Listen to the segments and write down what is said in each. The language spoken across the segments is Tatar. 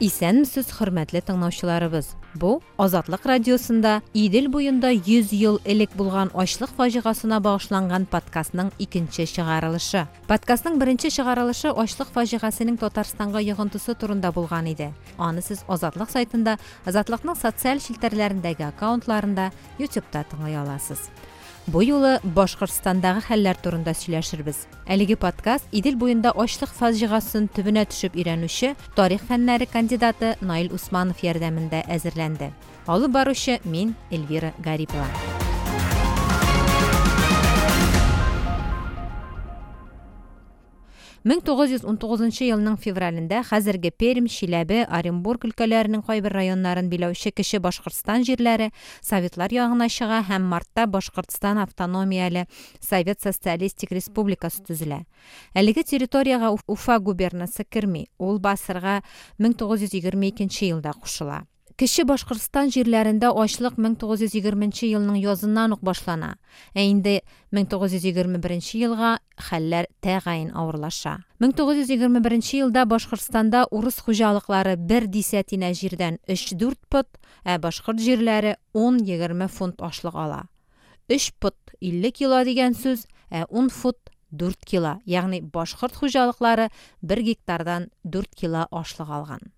Исәнмесез, хөрмәтле тыңлаучыларыбыз! Бу Азатлык радиосында Идел буенда 100 ел элек булган ачлык фаҗигасына багышланган подкастның икенче чыгарылышы. Подкастның беренче чыгарылышы ачлык фаҗигасенең Татарстанга йогынтысы турында булган иде. Аны сез Азатлык сайтында, Азатлыкның социаль челтәрләрендәге аккаунтларында, YouTube'та тыңлый аласыз. Бу юлы Башкортстандагы хәлләр турында сөйләшербез. Әлеге подкаст Идел буенда ачлык фаҗигасын төбенә төшеп өйрәнүче тарих фәннәре кандидаты Наил Усманов ярдәмендә әзерләнде. Алып баручы мин, Эльвира Гарипова. 1919 елның февралендә хәзерге Пермь, Чиләбе, Оренбург өлкәләренең кайбер районнарын биләүче Кече Башкортстан җирләре Советлар ягына чыга һәм мартта Башкортстан автономияле Совет Социалистик Республикасы төзелә. Әлеге территориягә Уфа губернасы керми, ул БАССРга 1922 елда кушыла. Кече Башкортстан җирләрендә ачлык 1920 нче елның языннан ук башлана, ә инде 1921 елга хәлләр тәгаен авырлаша. 1921 елда Башкортстанда урыс хуҗалыклары бер дисәтинә җирдән өч-дүрт пот, ә башкорт җирләре ун-егерме фунт ашлык ала. Өч пот, 50 кило дигән сүз, ә ун фут, дүрт кило, ягъни башкорт хуҗалыклары бер гектардан дүрт кило ашлык алган.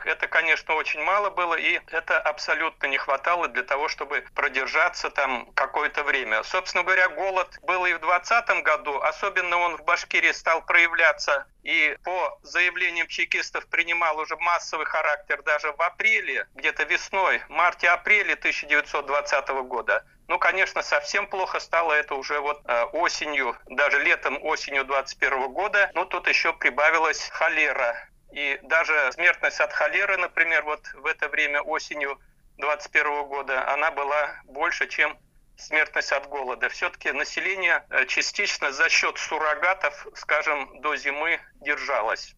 Это, конечно, очень мало было, и это абсолютно не хватало для того, чтобы продержаться там какое-то время. Собственно говоря, голод был и в 20 году, особенно он в Башкирии стал проявляться и по заявлениям чекистов принимал уже массовый характер даже в апреле, где-то весной, марте-апреле 1920 года. Ну, конечно, совсем плохо стало это уже вот осенью, даже летом, осенью 21 года. Но тут еще прибавилась холера. И даже смертность от холеры, например, вот в это время осенью 21 года, она была больше, чем смертность от голода. Все-таки население частично за счет суррогатов, скажем, до зимы держалось.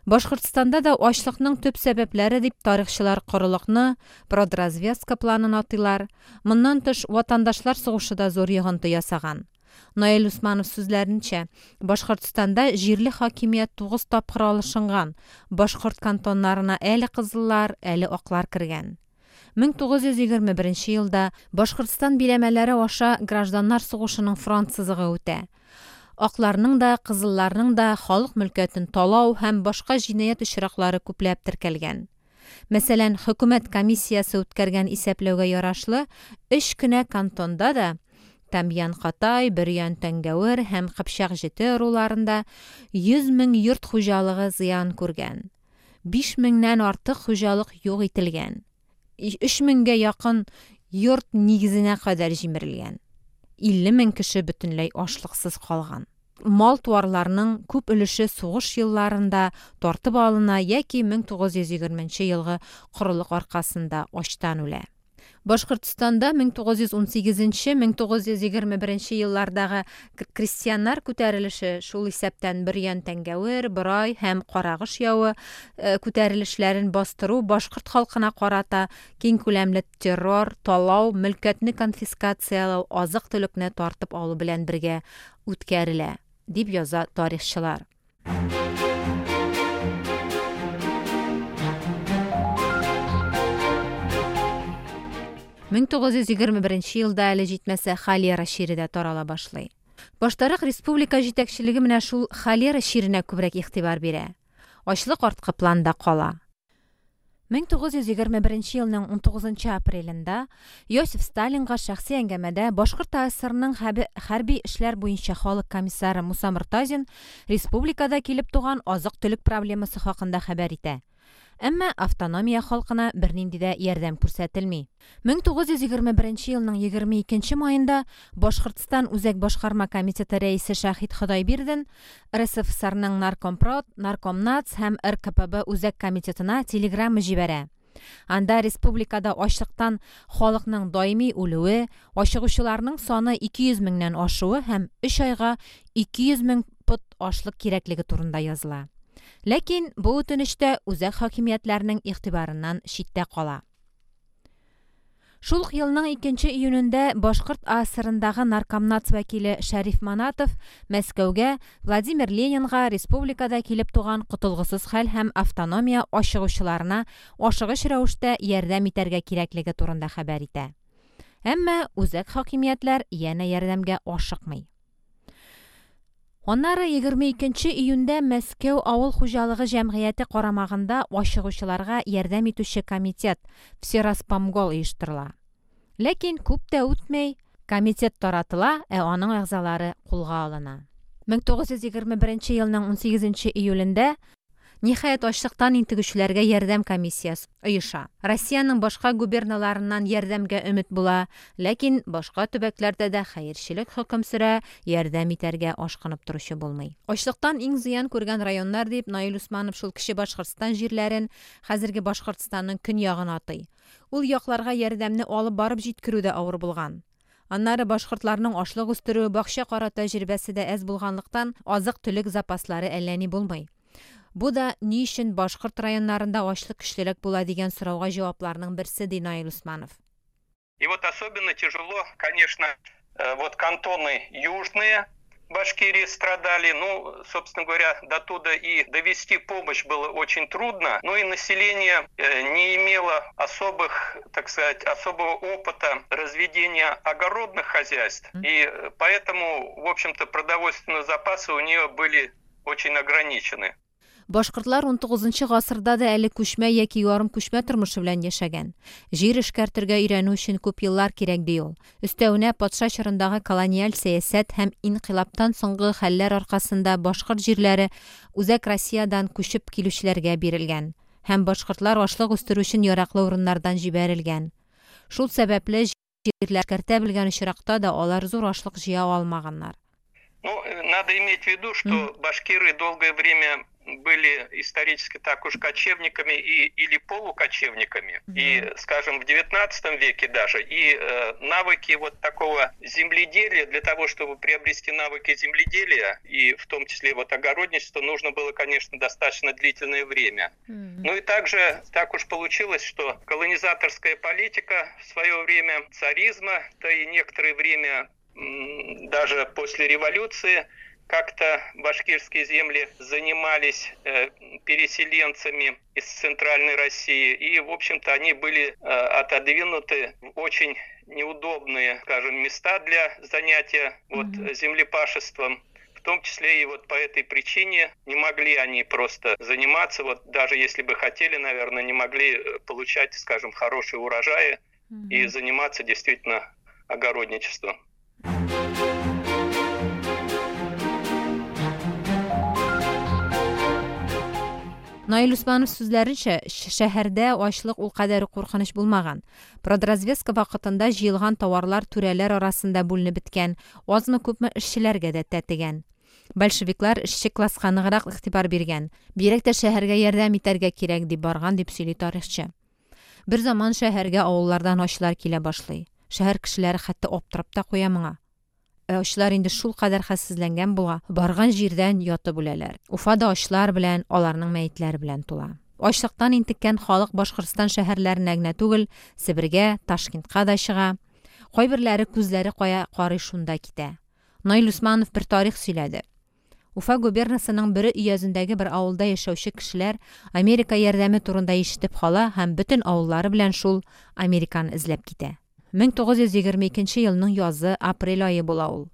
Башкортстанда да ачлыкның төп сәбәпләре дип тарихчылар корылыкны, продразвестка планын атыйлар. Моннан тыш, ватандашлар сугышы да зур йогынты ясаган. Наил Усманов сүзләренчә, Башкортстанда җирле хакимият тугыз тапкыр алышынган, башкорт кантоннарына әле кызыллар, әле аклар кергән. 1921 елда Башкортстан биләмәләре аша гражданнар сугышының фронт сызыгы үтә. Акларның да, кызылларның да халык мөлкәтен талау һәм башка җинаять очраклары күпләп теркәлгән. Мәсәлән, хөкүмәт комиссиясе үткәргән исәпләүгә ярашлы, өч кенә кантонда да, Тамьян-Катай, Бөрьян-Тәңгәвер һәм Кыпчак-Җете ыруларында 100 мең йорт хуҗалыгы зыян күргән. Биш меңнән артык хуҗалык юк ителгән. Өч меңгә якын йорт нигезенә кадәр җимерелгән. 50 мең кеше бөтенләй ашлыксыз калган. Мал-туарларның күп өлеше сугыш елларында тартып алына яки 1920 нче елгы корылык аркасында ачтан үлә. Башкортстанда 1918-1921 еллардагы крестьяннар күтәрелеше, шул исәптән Бөрьян-Тәңгәвер, Борай һәм Карагыш явы күтәрелешләрен бастыру башкорт халкына карата киңкүләмле террор, талау, мөлкәтне конфискацияләү, азык-төлекне тартып алу белән бергә үткәрелә, дип яза тарихчылар. 1921 елда әле җитмәсә холера чире дә тарала башлый. Баштарак республика җитәкчелеге менә шул холера чиренә күбрәк игътибар бирә. Ачлык арткы планда кала. 1921 елның 19 апрелендә Иосиф Сталинга шәхси әңгәмәдә Башкорт АССРның хәрби эшләр буенча халык комиссары Муса Мортазин республикада килеп туган азык-төлек проблемасы хакында хәбәр итә. Әмма автономия халкына бернинди дә ярдәм күрсәтелми. 1921 елның 22 маенда Башкортстан Үзәк башкарма комитеты рәисе Шәһит Ходайбирдин РСФСРның Наркомпрод, Наркомнац һәм РКПБ Үзәк комитетына телеграмма җибәрә. Анда республикада ачлыктан халыкның даими үлүе, ачыгучыларның саны 200 меңнән ашуы һәм өч айга 200 мең пот ашлык кирәклеге турында языла. Ләкин бу үтенеч тә үзәк хакимиятләрнең игътибарыннан читтә кала. Шул ук елның 2 июнендә Башкорт АССРындагы наркомнац вәкиле Шәриф Манатов Мәскәүгә Владимир Ленинга республикада килеп туган котылгысыз хәл һәм автономия ачыгучыларына ашыгыч рәвештә ярдәм итәргә кирәклеге турында хәбәр итә. Әмма үзәк хакимиятләр янә ярдәмгә ашыкмый. Аннары 22 июньдә Мәскәү авыл хуҗалыгы җәмгыяте карамагында ачыгучыларга ярдәм итүче комитет Всероспомгол оештырыла. Ләкин күп тә үтмәй, комитет таратыла, ә аның әгъзалары кулга алына. 1921 елның 18 июлендә ниһаять ачлыктан интегүчеләргә ярдәм комиссиясе оеша. Россиянең башка губерналарыннан ярдәмгә өмет була, ләкин башка төбәкләрдә дә хәерчелек хөкем сөрә, ярдәм итәргә ашкынып торучы булмый. Ачлыктан иң зыян күргән районнар дип Наил Усманов шул Кече Башкортстан җирләрен, хәзерге Башкортстанның көньягын атый. Ул якларга ярдәмне алып барып җиткерү дә авыр булган. Аннары башкортларның ашлык үстерү, бакча карау тәҗрибәсе дә әз булганлыктан, азык-төлек запаслары әллә ни булмый. Бу да ни өчен башкорт районнарында ачлык көчлерәк була дигән сорауга җавапларның берсе, ди Наил Усманов. И вот особенно тяжело, конечно, вот кантоны южные Башкирии страдали. Ну, собственно говоря, до туда и довести помощь было очень трудно. Ну и население не имело особых, так сказать, особого опыта разведения огородных хозяйств. И поэтому, в общем-то, продовольственные запасы у нее были очень ограничены. Башкортлар 19 гасырда да әле күчмә яки ярым күчмә тормышы белән яшәгән. Җир эшкәртергә өйрәнү өчен күп еллар кирәк ди ул. Өстәвенә патша чорындагы колониаль сәясәт һәм инкыйлабтан соңгы хәлләр аркасында башкорт җирләре Үзәк Россиядән күчеп килүчеләргә бирелгән һәм башкортлар ашлык үстерү өчен яраклы урыннардан җибәрелгән. Шул сәбәпле җирләр эшкәртә белгән очракта да алар зур ашлык җыя алмаганнар. Ну, надо иметь в виду, что башкиры долгое время были исторически так уж кочевниками или полукочевниками. И, скажем, в 19 веке даже. И навыки вот такого земледелия, для того, чтобы приобрести навыки земледелия, и в том числе вот огородничество, нужно было, конечно, достаточно длительное время. Ну и также так уж получилось, что колонизаторская политика в свое время царизма, да и некоторое время даже после революции, как-то башкирские земли занимались переселенцами из Центральной России. И, в общем-то, они были отодвинуты в очень неудобные, скажем, места для занятия вот, землепашеством. В том числе и вот по этой причине не могли они просто заниматься, вот даже если бы хотели, наверное, не могли получать, скажем, хорошие урожаи и заниматься действительно огородничеством. Наил Усманов сүзләренчә, шәһәрдә ачлык ул кадәр куркыныч булмаган. Продразведка вакытында җыелган товарлар түрәләр арасында бүленеп беткән, азмы-күпме эшчеләргә дә тәтегән. Большевиклар эшче класска ныграк игътибар биргән. Бигрәк тә шәһәргә ярдәм итәргә кирәк дип барган, дип сөйли тарихчы. Бер заман шәһәргә авыллардан ачлар килә башлый. Шәһәр кешеләре хәтта аптырап та куя моңа. Ачлар инде шул кадәр хәлсезләнгән була, барган җирдән ятып үләләр. Уфада ачлар белән, аларның мәетләре белән тула. Ачлыктан интеккән халык Башкортстан шәһәрләренә генә түгел, Себергә, Ташкентка да чыга. Кайберләре күзләре кая карый шунда китә. Наил Усманов бер тарих сөйләде. Уфа губернасының Бөре өязендәге бер авылда яшәүче кешеләр Америка ярдәме турында ишетеп кала һәм бөтен авыллары белән шул Американы эзләп китә. 1922 елның язы, апрель ае була ул.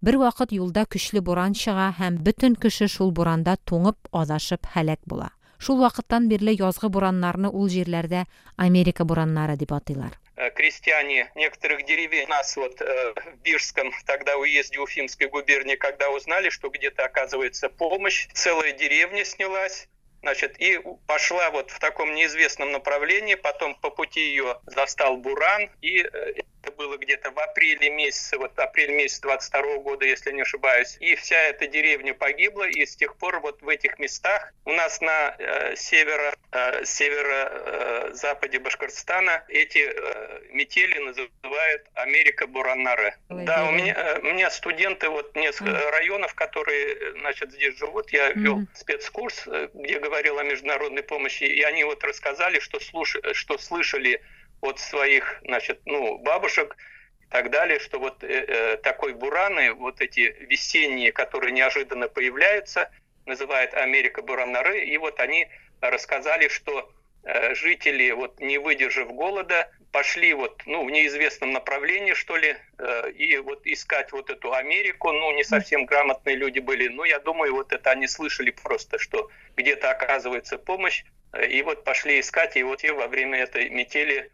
Бер вакыт юлда көчле буран чыга һәм бөтен кеше шул буранда туңып, адашып һәлак була. Шул вакыттан бирле язгы бураннарны ул җирләрдә Америка бураннары дип атыйлар. Крестьяне некоторых деревень у нас вот в Бирском, тогда уезде Уфимской губернии, когда узнали, что где-то оказывается помощь, целая деревня снялась, значит, и пошла вот в таком неизвестном направлении, потом по пути ее застал буран, и это было где-то в апреле месяце, вот апрель месяц 22 года, если не ошибаюсь, и вся эта деревня погибла, и с тех пор вот в этих местах у нас на северо-западе Башкортостана эти метели называют Америка Бураннары. Да, у меня студенты вот несколько районов, которые, значит, здесь живут, я вел спецкурс, где говорил о международной помощи, и они вот рассказали, что слышали от своих, значит, ну, бабушек и так далее, что вот такой бураны, вот эти весенние, которые неожиданно появляются, называют Америка буранары, и вот они рассказали, что жители, вот не выдержав голода, пошли вот, ну, в неизвестном направлении, что ли, и вот искать вот эту Америку, ну, не совсем грамотные люди были, но я думаю, вот это они слышали просто, что где-то оказывается помощь, и вот пошли искать, и вот и во время этой метели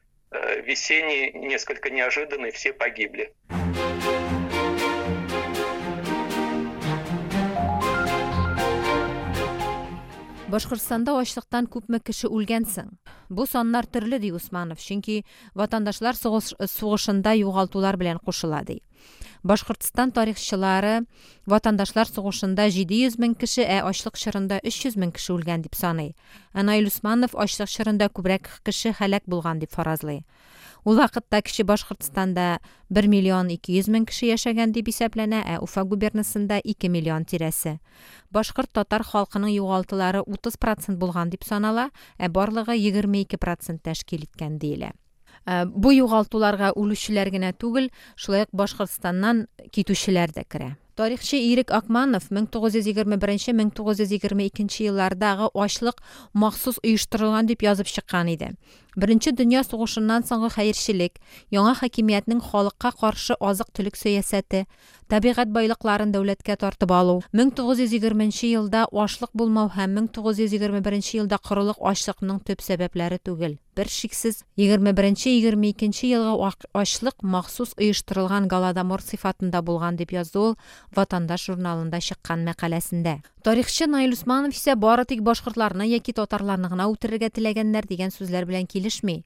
весенней, несколько неожиданной, все погибли. Башкортстанда ачлыктан күпме кеше үлгән соң? Бу саннар төрле, ди Усманов, чөнки ватандашлар сугышында югалтулар белән кушыла, ди. Башкортстан тарихчылары ватандашлар сугышында 700 мең кеше, ә ачлык чорында 300 мең кеше үлгән дип саный. Ә Наил Усманов ачлык чорында күбрәк кеше һәлак булган дип фаразлый. Ул вакытта Кече Башкортстанда 1 миллион 200 мең кеше яшәгән дип исәпләнә, ә Уфа губернасында 2 миллион тирәсе. Башкорт татар халкының югалтулары 30% булган дип санала, ә барлыгы 22% тәшкил иткән диелә. Бу югалтуларга үлүчеләр генә түгел, шулай ук Башкортстаннан китүчеләр дә керә. Тарихчы Ирек Акманов 1921-1922 еллардагы ачлык махсус оештырылган дип язып чыккан иде. Беренче дөнья сугышыннан соңгы хәерчелек, яңа хакимиятнең халыкка каршы азык-төлек сәясәте, табигать байлыкларын дәүләткә тартып алу, 1920 елда ашлык булмау һәм 1921 елда корылык ачлыкның төп сәбәпләре түгел. Бер шиксез 21-22 елгы ачлык махсус оештырылган голодомор сыйфатында булган дип язды ул Ватандаш журналында чыккан мәкаләсендә. Тарихчы Наил Усманов исә бары тик башкортларны яки татарларны гына үтерергә теләгәннәр дигән сүзләр белән килешми.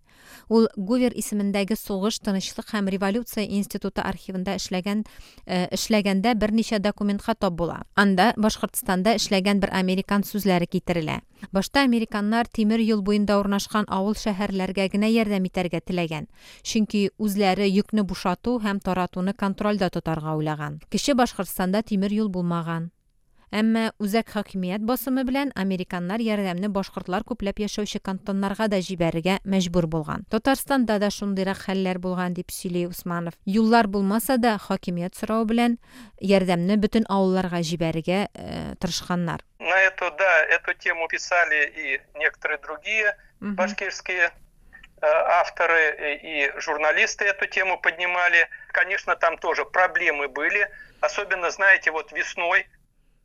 Ул Гувер исемендәге сугыш, тынычлык һәм революция институты архивында эшләгәндә берничә документка тап була. Анда Башкортстанда эшләгән бер американ сүзләре китерелә. Башта американнар тимер юл буенда урнашкан авыл шәһәрләргә генә ярдәм итәргә теләгән, чөнки үзләре йөкне бушату һәм таратуны контрольдә тотарга уйлаган. Кече Башкортстанда тимер юл булмаган. Әмма үзәк хакимият басымы белән американнар ярдәмне башкортлар күпләп яшәүче кантоннарга да җибәрергә мәҗбүр булган. Татарстанда да шундыйрак хәлләр булган дип сөйли Усманов. Юллар булмаса да, хакимият соравы белән ярдәмне бөтен авылларга җибәрергә тырышканнар. На эту, да, эту тему писали и некоторые другие башкирские авторы, и журналисты эту тему поднимали. Конечно, там тоже проблемы были, особенно, знаете, вот весной,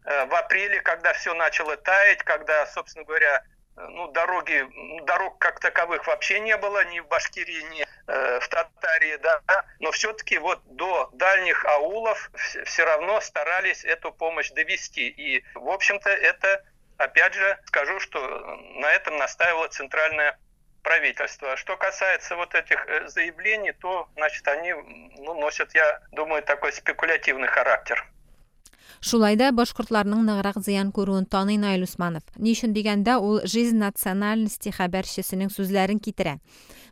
в апреле, когда все начало таять, когда, собственно говоря, ну, дорог как таковых вообще не было ни в Башкирии, ни в Татарии, да, но все-таки вот до дальних аулов все равно старались эту помощь довести. И, в общем-то, это, опять же, скажу, что на этом настаивало центральное правительство. Что касается вот этих заявлений, то, значит, они, ну, носят, я думаю, такой спекулятивный характер. Шулай да башкортларның ныграк зыян күрүен таный Наил Усманов. Ни өчен дигәндә, ул «Жизнь национальности» хәбәрчесенең сүзләрен китерә.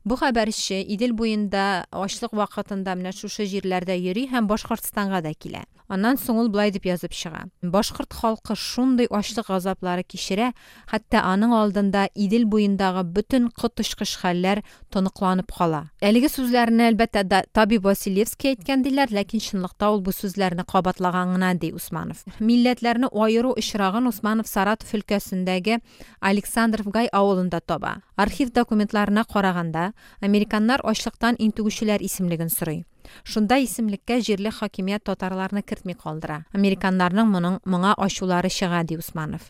Бу хәбәрче Идел буенда ачлык вакытында менә шушы җирләрдә йөри һәм Башкортстанга да килә. Аннан соң ул былай дип язып чыга. Башкорт халкы шундый ачлык газаплары кичерә, хәтта аның алдында Идел буендагы бөтен коточкыч хәлләр тоныкланып кала. Әлеге сүзләрне әлбәттә табиб Василевский әйткән диләр, ләкин чынлыкта ул бу сүзләрне кабатлаган гына, ди Усманов. Милләтләрне аеру очрагын Усманов Саратов өлкәсендәге Александров-Гай авылында таба. Архив документларына караганда, американнар ачлыктан интегүчеләр исемлеген сорый. Шунда исемлеккә җирле хакимият татарларны кертми калдыра. Американнарның моңа ачулары чыга, ди Усманов.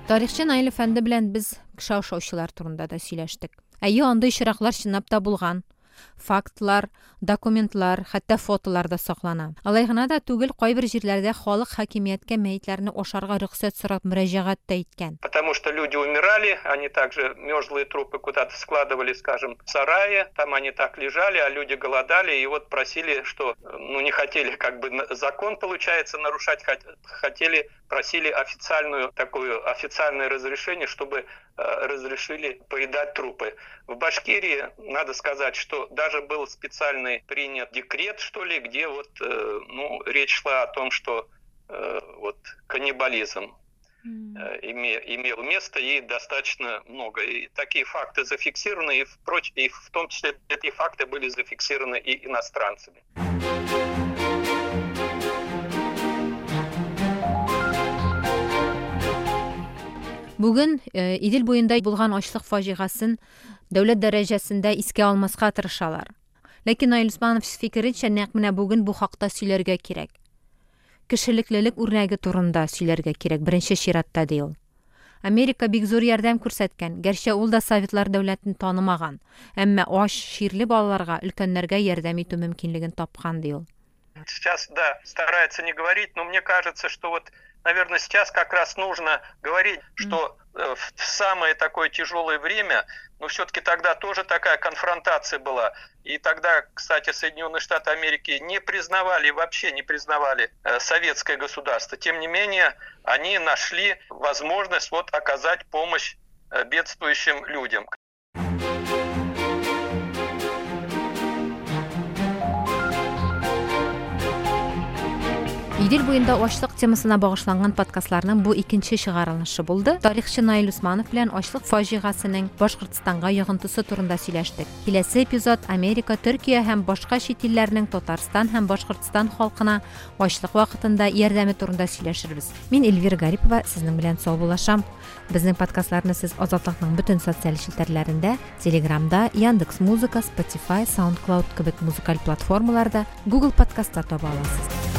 Тарихчы Наил әфәнде белән без кеше ашаучылар турында да сөйләштек. Әйе, андый очраклар чынлап та булган. Фактлар, документлар, хәтта фотолар да саклана. Алай гына да түгел, кайбер җирләрдә халык хакимияткә мәетләрне ашарга рөхсәт сорап мөрәҗәгать тә иткән. Потому что люди умирали, они также мерзлые трупы куда-то складывали, скажем, в сарае, там они так лежали, а люди голодали и вот просили, что, ну, не хотели как бы закон, получается, нарушать, хотели, просили официальную такую, официальное разрешение, чтобы разрешили поедать трупы. В Башкирии, надо сказать, что даже был специальный принят декрет, что ли, где вот, ну, речь шла о том, что вот каннибализм. Имел место и достаточно много. И такие факты зафиксированы, и в том числе эти факты были зафиксированы и иностранцами. Бүген Идел буенда булган ачлык фаҗигасын дәүләт дәрәҗәсендә искә алмаска тырышалар. Ләкин Наил Усманов фикеренчә, нәкъ менә бүген бу хакта сөйләргә кирәк. Кешелеклелек үрнәге турында сөйләргә кирәк беренче чиратта, ди ул. Америка бик зур ярдәм күрсәткән, гәрчә ул да Советлар дәүләтен танымаган, әмма ач, чирле балаларга, өлкәннәргә ярдәм итү мөмкинлеген тапкан, ди ул. Сейчас, да, стараются не говорить, но мне кажется, что вот, наверное, сейчас как раз нужно говорить, что в самое такое тяжелое время, но все-таки тогда тоже такая конфронтация была. И тогда, кстати, Соединенные Штаты Америки не признавали, вообще не признавали советское государство. Тем не менее, они нашли возможность вот оказать помощь бедствующим людям. Идел буенда ачлык темасына багышланган подкастларның бу икенче чыгарылышы булды. Тарихчы Наил Усманов белән ачлык фаҗигасенең Башкортстанга йогынтысы турында сөйләштек. Киләсе эпизод Америка, Төркия һәм башка чит илләрнең Татарстан һәм Башкортстан халкына ачлык вакытында ярдәме турында сөйләшербез. Мин Эльвира Гарипова сезнең белән саубуллашам. Безнең подкастларны сез Азатлыкның бөтен социаль челтәрләрендә, Телеграмда, Яндекс Музыка, Spotify, SoundCloud кебек музыкаль платформаларда, Google подкастта таба аласыз.